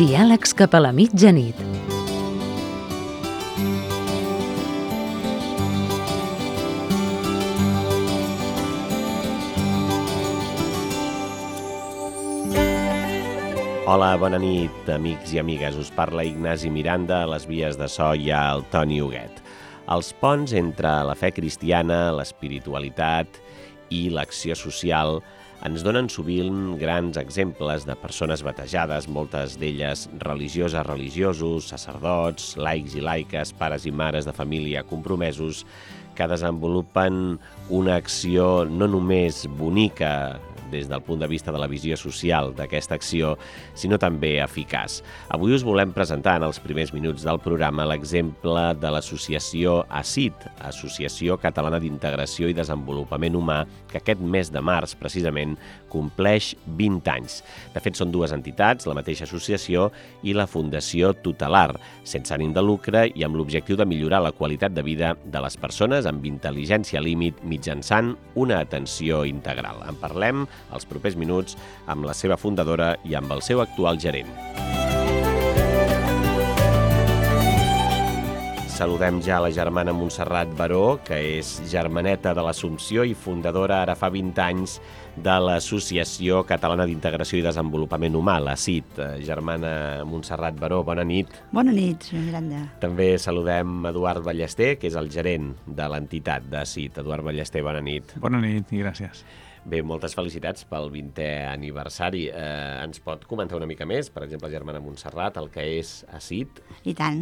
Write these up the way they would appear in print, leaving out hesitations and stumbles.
Diàlegs cap a la mitjanit. Hola, bona nit, amics i amigues. Us parla Ignasi Miranda, a les vies de so hi ha el Toni Huguet. Els ponts entre la fe cristiana, l'espiritualitat i l'acció social ens donen sovint grans exemples de persones batejades, moltes d'elles religioses, religiosos, sacerdots, laics i laiques, pares i mares de família compromesos, que desenvolupen una acció no només bonica des del punt de vista de la visió social d'aquesta acció, sinó també eficaç. Avui us volem presentar en els primers minuts del programa l'exemple de l'associació ACID, Associació Catalana d'Integració i Desenvolupament Humà, que aquest mes de març, precisament, compleix 20 anys. De fet, són dues entitats, la mateixa associació i la Fundació Tutelar, sense ànim de lucre i amb l'objectiu de millorar la qualitat de vida de les persones amb intel·ligència límit mitjançant una atenció integral. En parlem els propers minuts amb la seva fundadora i amb el seu actual gerent. Saludem ja la germana Montserrat Baró, que és germaneta de l'Assumpció i fundadora ara fa 20 anys de l'Associació Catalana d'Integració i Desenvolupament Humà, la CID. Germana Montserrat Baró, bona nit. Bona nit, senyor Miranda. També saludem Eduard Ballester, que és el gerent de l'entitat de CID. Eduard Ballester, bona nit. Bona nit i gràcies. Bé, moltes felicitats pel 20è aniversari. Ens pot comentar una mica més, per exemple, germana Montserrat, el que és ACID? I tant,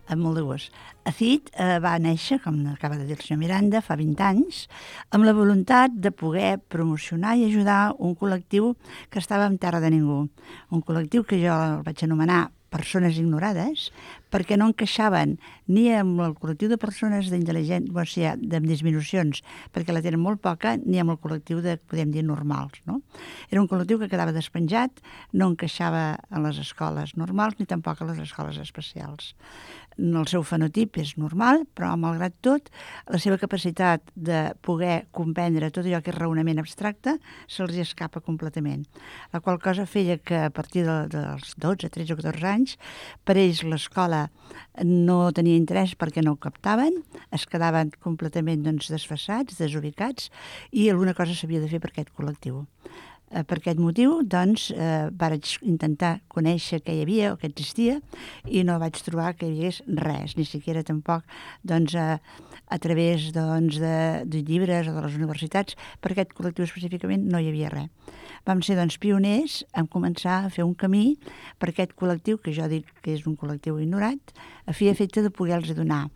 amb molt de gust. ACID va néixer, com acaba de dir el senyor Miranda, fa 20 anys, amb la voluntat de poder promocionar i ajudar un col·lectiu que estava en terra de ningú. Un col·lectiu que jo el vaig anomenar persones ignorades, perquè no encaixaven ni amb el col·lectiu de persones d'intel·ligència, de disminucions, perquè la tenen molt poca, ni amb el col·lectiu de, podem dir, normals. No? Era un col·lectiu que quedava despenjat, no encaixava a les escoles normals ni tampoc a les escoles especials. El seu fenotip és normal, però malgrat tot, la seva capacitat de poder comprendre tot allò que és raonament abstracte se'ls escapa completament. La qual cosa feia que a partir dels 12, 13 o 14 anys, per ells l'escola no tenia interès perquè no ho captaven, es quedaven completament desfasats, desubicats, i alguna cosa s'havia de fer per aquest col·lectiu. Per aquest motiu, vaig intentar conèixer què hi havia o què existia i no vaig trobar que hi hagués res, ni siquiera tampoc a través de llibres o de les universitats. Per aquest col·lectiu específicament no hi havia res. Vam ser pioners en començar a fer un camí per aquest col·lectiu, que jo dic que és un col·lectiu ignorat, a fi i efecte de poder-los donar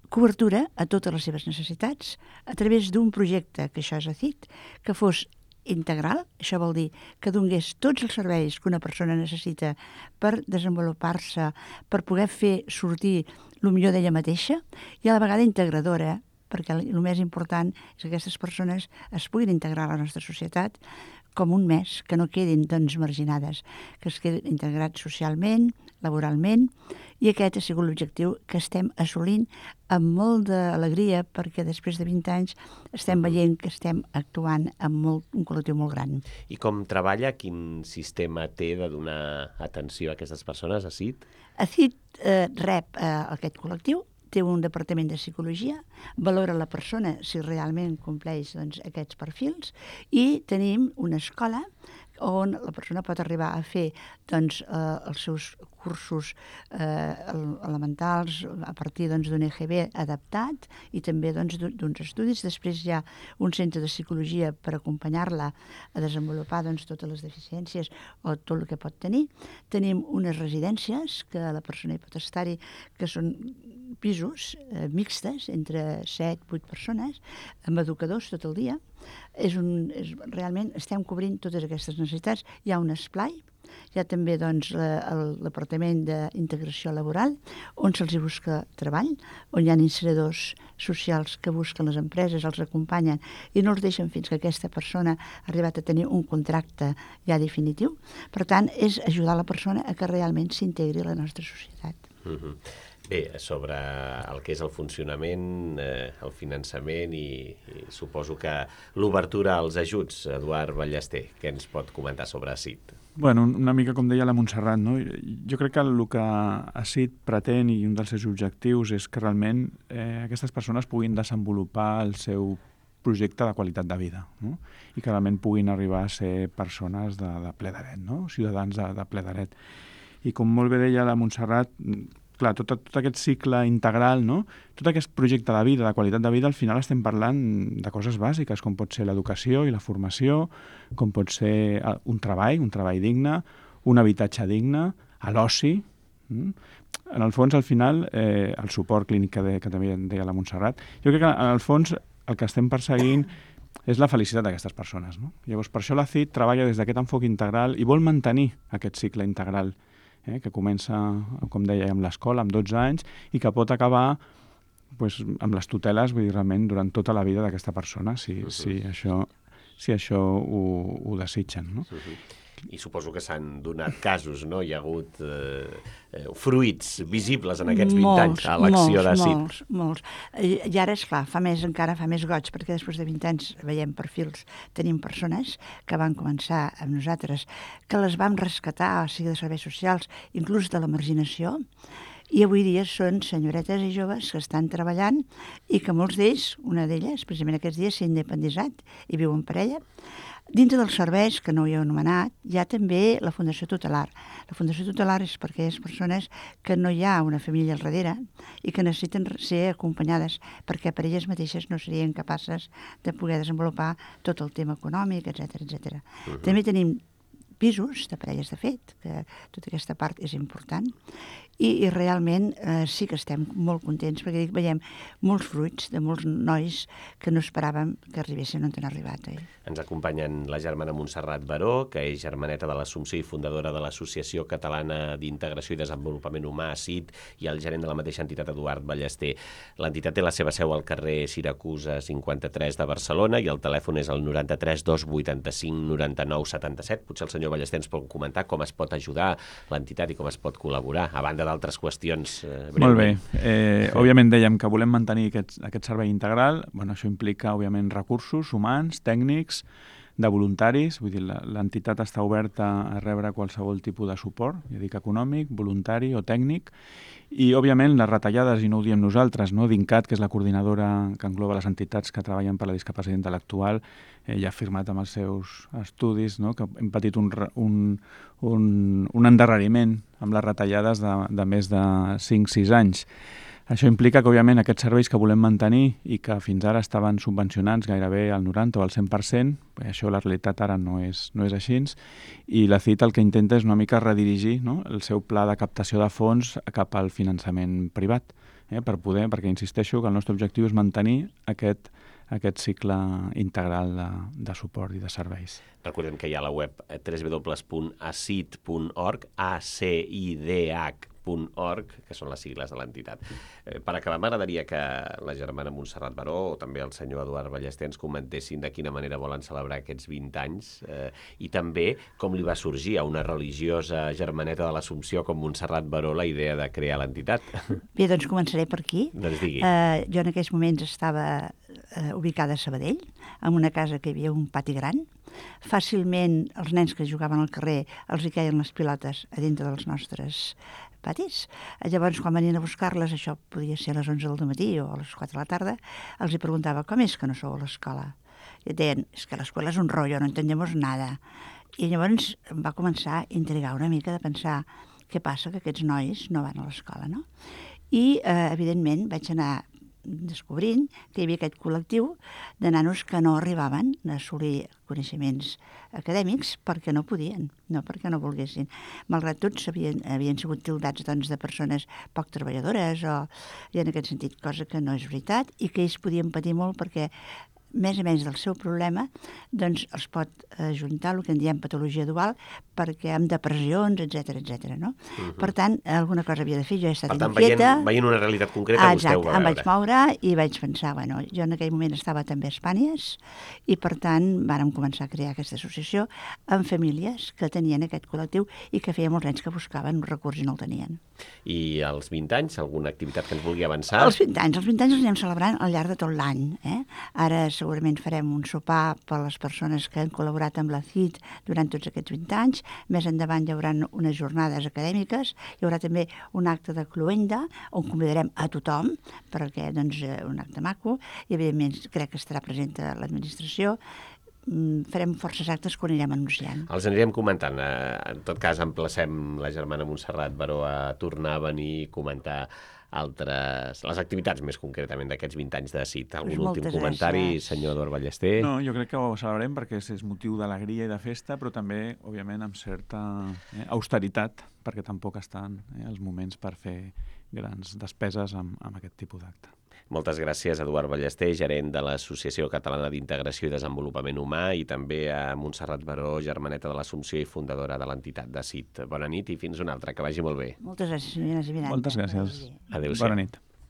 cobertura a totes les seves necessitats a través d'un projecte, que això és ACID, que fos integral. Això vol dir que donés tots els serveis que una persona necessita per desenvolupar-se, per poder fer sortir el millor d'ella mateixa i a la vegada integradora, perquè el més important és que aquestes persones es puguin integrar a la nostra societat com un més, que no quedin marginades, que es quedin integrats socialment, laboralment, i aquest ha sigut l'objectiu que estem assolint amb molt d'alegria, perquè després de 20 anys estem veient que estem actuant amb un col·lectiu molt gran. I com treballa? Quin sistema té de donar atenció a aquestes persones, ACID? ACID rep aquest col·lectiu, té un departament de psicologia, valora la persona si realment compleix aquests perfils, i tenim una escola on la persona pot arribar a fer els seus cursos elementals a partir d'un EGB adaptat i també d'uns estudis. Després hi ha un centre de psicologia per acompanyar-la a desenvolupar totes les deficiències o tot el que pot tenir. Tenim unes residències que la persona hi pot estar-hi, que són pisos mixtes entre 7-8 persones amb educadors tot el dia. Realment estem cobrint totes aquestes necessitats. Hi ha un esplai, hi ha també el Departament d'Integració Laboral, on se'ls busca treball, on hi ha incineradors socials que busquen les empreses, els acompanyen i no els deixen fins que aquesta persona ha arribat a tenir un contracte ja definitiu. Per tant, és ajudar la persona a que realment s'integri a la nostra societat. Bé, sobre el que és el funcionament, el finançament i suposo que l'obertura als ajuts, Eduard Ballester, què ens pot comentar sobre ACID? Bueno, una mica com deia la Montserrat, no? Jo crec que el que ACID pretén i un dels seus objectius és que realment aquestes persones puguin desenvolupar el seu projecte de qualitat de vida, no? I que realment puguin arribar a ser persones de ple dret, no? Ciutadans de ple dret. I com molt bé deia la Montserrat, clar, tot aquest cicle integral, no? Tot aquest projecte de vida, de qualitat de vida, al final estem parlant de coses bàsiques, com pot ser l'educació i la formació, com pot ser un treball digne, un habitatge digne, l'oci. En el fons, al final, el suport clínic que també deia la Montserrat, jo crec que en el fons el que estem perseguint és la felicitat d'aquestes persones, no? Llavors, per això la CID treballa des d'aquest enfoc integral i vol mantenir aquest cicle integral, que comença, com deia, amb l'escola, amb 12 anys, i que pot acabar amb les tuteles, vull dir, realment, durant tota la vida d'aquesta persona, si això ho desitgen, no? I suposo que s'han donat casos, no? Hi ha hagut fruits visibles en aquests 20 anys a l'acció de CID. Molts. I ara, esclar, encara fa més goig, perquè després de 20 anys veiem perfils, tenim persones que van començar amb nosaltres, que les vam rescatar, o sigui, de serveis socials, inclús de la marginació, i avui dia són senyoretes i joves que estan treballant i que molts d'ells, una d'elles, precisament aquests dies, s'ha independitzat i viu en parella. Dintre dels serveis, que no ho he anomenat, hi ha també la Fundació Tutelar. La Fundació Tutelar és per aquelles persones que no hi ha una família al darrere i que necessiten ser acompanyades perquè per elles mateixes no serien capaces de poder desenvolupar tot el tema econòmic, etc. També tenim pisos de parelles de fet, que tota aquesta part és important, i realment sí que estem molt contents perquè veiem molts fruits de molts nois que no esperàvem que arribessin on han arribat. Ens acompanyen la germana Montserrat Baró, que és germaneta de l'Assumpció i fundadora de l'Associació Catalana d'Integració i Desenvolupament Humà, ACID, i el gerent de la mateixa entitat, Eduard Ballester. L'entitat té la seva seu al carrer Siracusa 53 de Barcelona i el telèfon és el 93 285 99 77. Potser el senyor Ballester ens pot comentar com es pot ajudar l'entitat i com es pot col·laborar, a banda d'altres qüestions breument. Molt bé. Òbviament dèiem que volem mantenir aquest servei integral. Bueno, això implica, òbviament, recursos humans, tècnics, de voluntaris. Vull dir, l'entitat està oberta a rebre qualsevol tipus de suport, ja dic econòmic, voluntari o tècnic. I, òbviament, les retallades, i no ho diem nosaltres, no? D'INCAT, que és la coordinadora que engloba les entitats que treballen per la discapacitat intel·lectual, ja ha afirmat amb els seus estudis, no? Que hem patit un endarreriment amb les retallades de més de 5-6 anys. Això implica que, òbviament, aquests serveis que volem mantenir i que fins ara estaven subvencionats gairebé al 90 o al 100%, això la realitat ara no és així, i la CID el que intenta és una mica redirigir, no? El seu pla de captació de fons cap al finançament privat, perquè insisteixo que el nostre objectiu és mantenir aquest cicle integral de suport i de serveis. Recordem que hi ha la web www.acid.org, ACIDH.org, que són les sigles de l'entitat. Per acabar, m'agradaria que la germana Montserrat Baró o també el senyor Eduard Ballester ens comentessin de quina manera volen celebrar aquests 20 anys i també com li va sorgir a una religiosa germaneta de l'Assumpció com Montserrat Baró la idea de crear l'entitat. Bé, doncs començaré per aquí. Doncs digui. Jo en aquells moments estava ubicada a Sabadell, en una casa que hi havia un pati gran. Fàcilment els nens que jugaven al carrer els hi queien les pilotes a dintre dels nostres patis. Llavors, quan venien a buscar-les, això podia ser a les 11 del matí o a les 4 de la tarda, els hi preguntava, com és que no sou a l'escola? I deien, és que l'escola és un rotllo, no entendemos nada. I llavors em va començar a intrigar una mica de pensar què passa que aquests nois no van a l'escola, no? I, evidentment, vaig anar descobrint que hi havia aquest col·lectiu de nanos que no arribaven a assolir coneixements acadèmics perquè no podien, no perquè no volguessin. Malgrat tot, havien sigut tildats de persones poc treballadores i en aquest sentit, cosa que no és veritat i que ells podien patir molt perquè més o menys del seu problema, doncs els pot ajuntar el que en diem patologia dual, perquè amb depressions, etc. no? Per tant, alguna cosa havia de fer, jo he estat inquieta. Per tant, veient una realitat concreta, vostè ho va veure. Em vaig moure i vaig pensar, bueno, jo en aquell moment estava també a Espanyes i per tant vàrem començar a crear aquesta associació amb famílies que tenien aquest col·lectiu i que feia molts anys que buscaven un recurs i no el tenien. I als 20 anys, alguna activitat que ens vulgui avançar? Els 20 anys els anem celebrant al llarg de tot l'any. Ara segurament farem un sopar per a les persones que han col·laborat amb la CIT durant tots aquests 20 anys. Més endavant hi haurà unes jornades acadèmiques, hi haurà també un acte de cloenda on convidarem a tothom, perquè doncs, un acte maco, i evidentment crec que estarà present l'administració. Farem forces actes que ho anirem anunciant. Els anirem comentant. En tot cas, emplacem la germana Montserrat Baró a tornar a venir i comentar les activitats més concretament d'aquests 20 anys de CIT. Algun últim comentari, senyor Eduard Ballester? No, jo crec que ho celebrem perquè és motiu d'alegria i de festa, però també, òbviament, amb certa austeritat, perquè tampoc estan els moments per fer grans despeses amb aquest tipus d'acte. Moltes gràcies, Eduard Ballester, gerent de l'Associació Catalana d'Integració i Desenvolupament Humà, i també a Montserrat Baró, germaneta de l'Assumpció i fundadora de l'entitat de CIT. Bona nit i fins una altra, que vagi molt bé. Moltes gràcies, senyora Miranda. Moltes gràcies. Adéu-siau. Bona nit.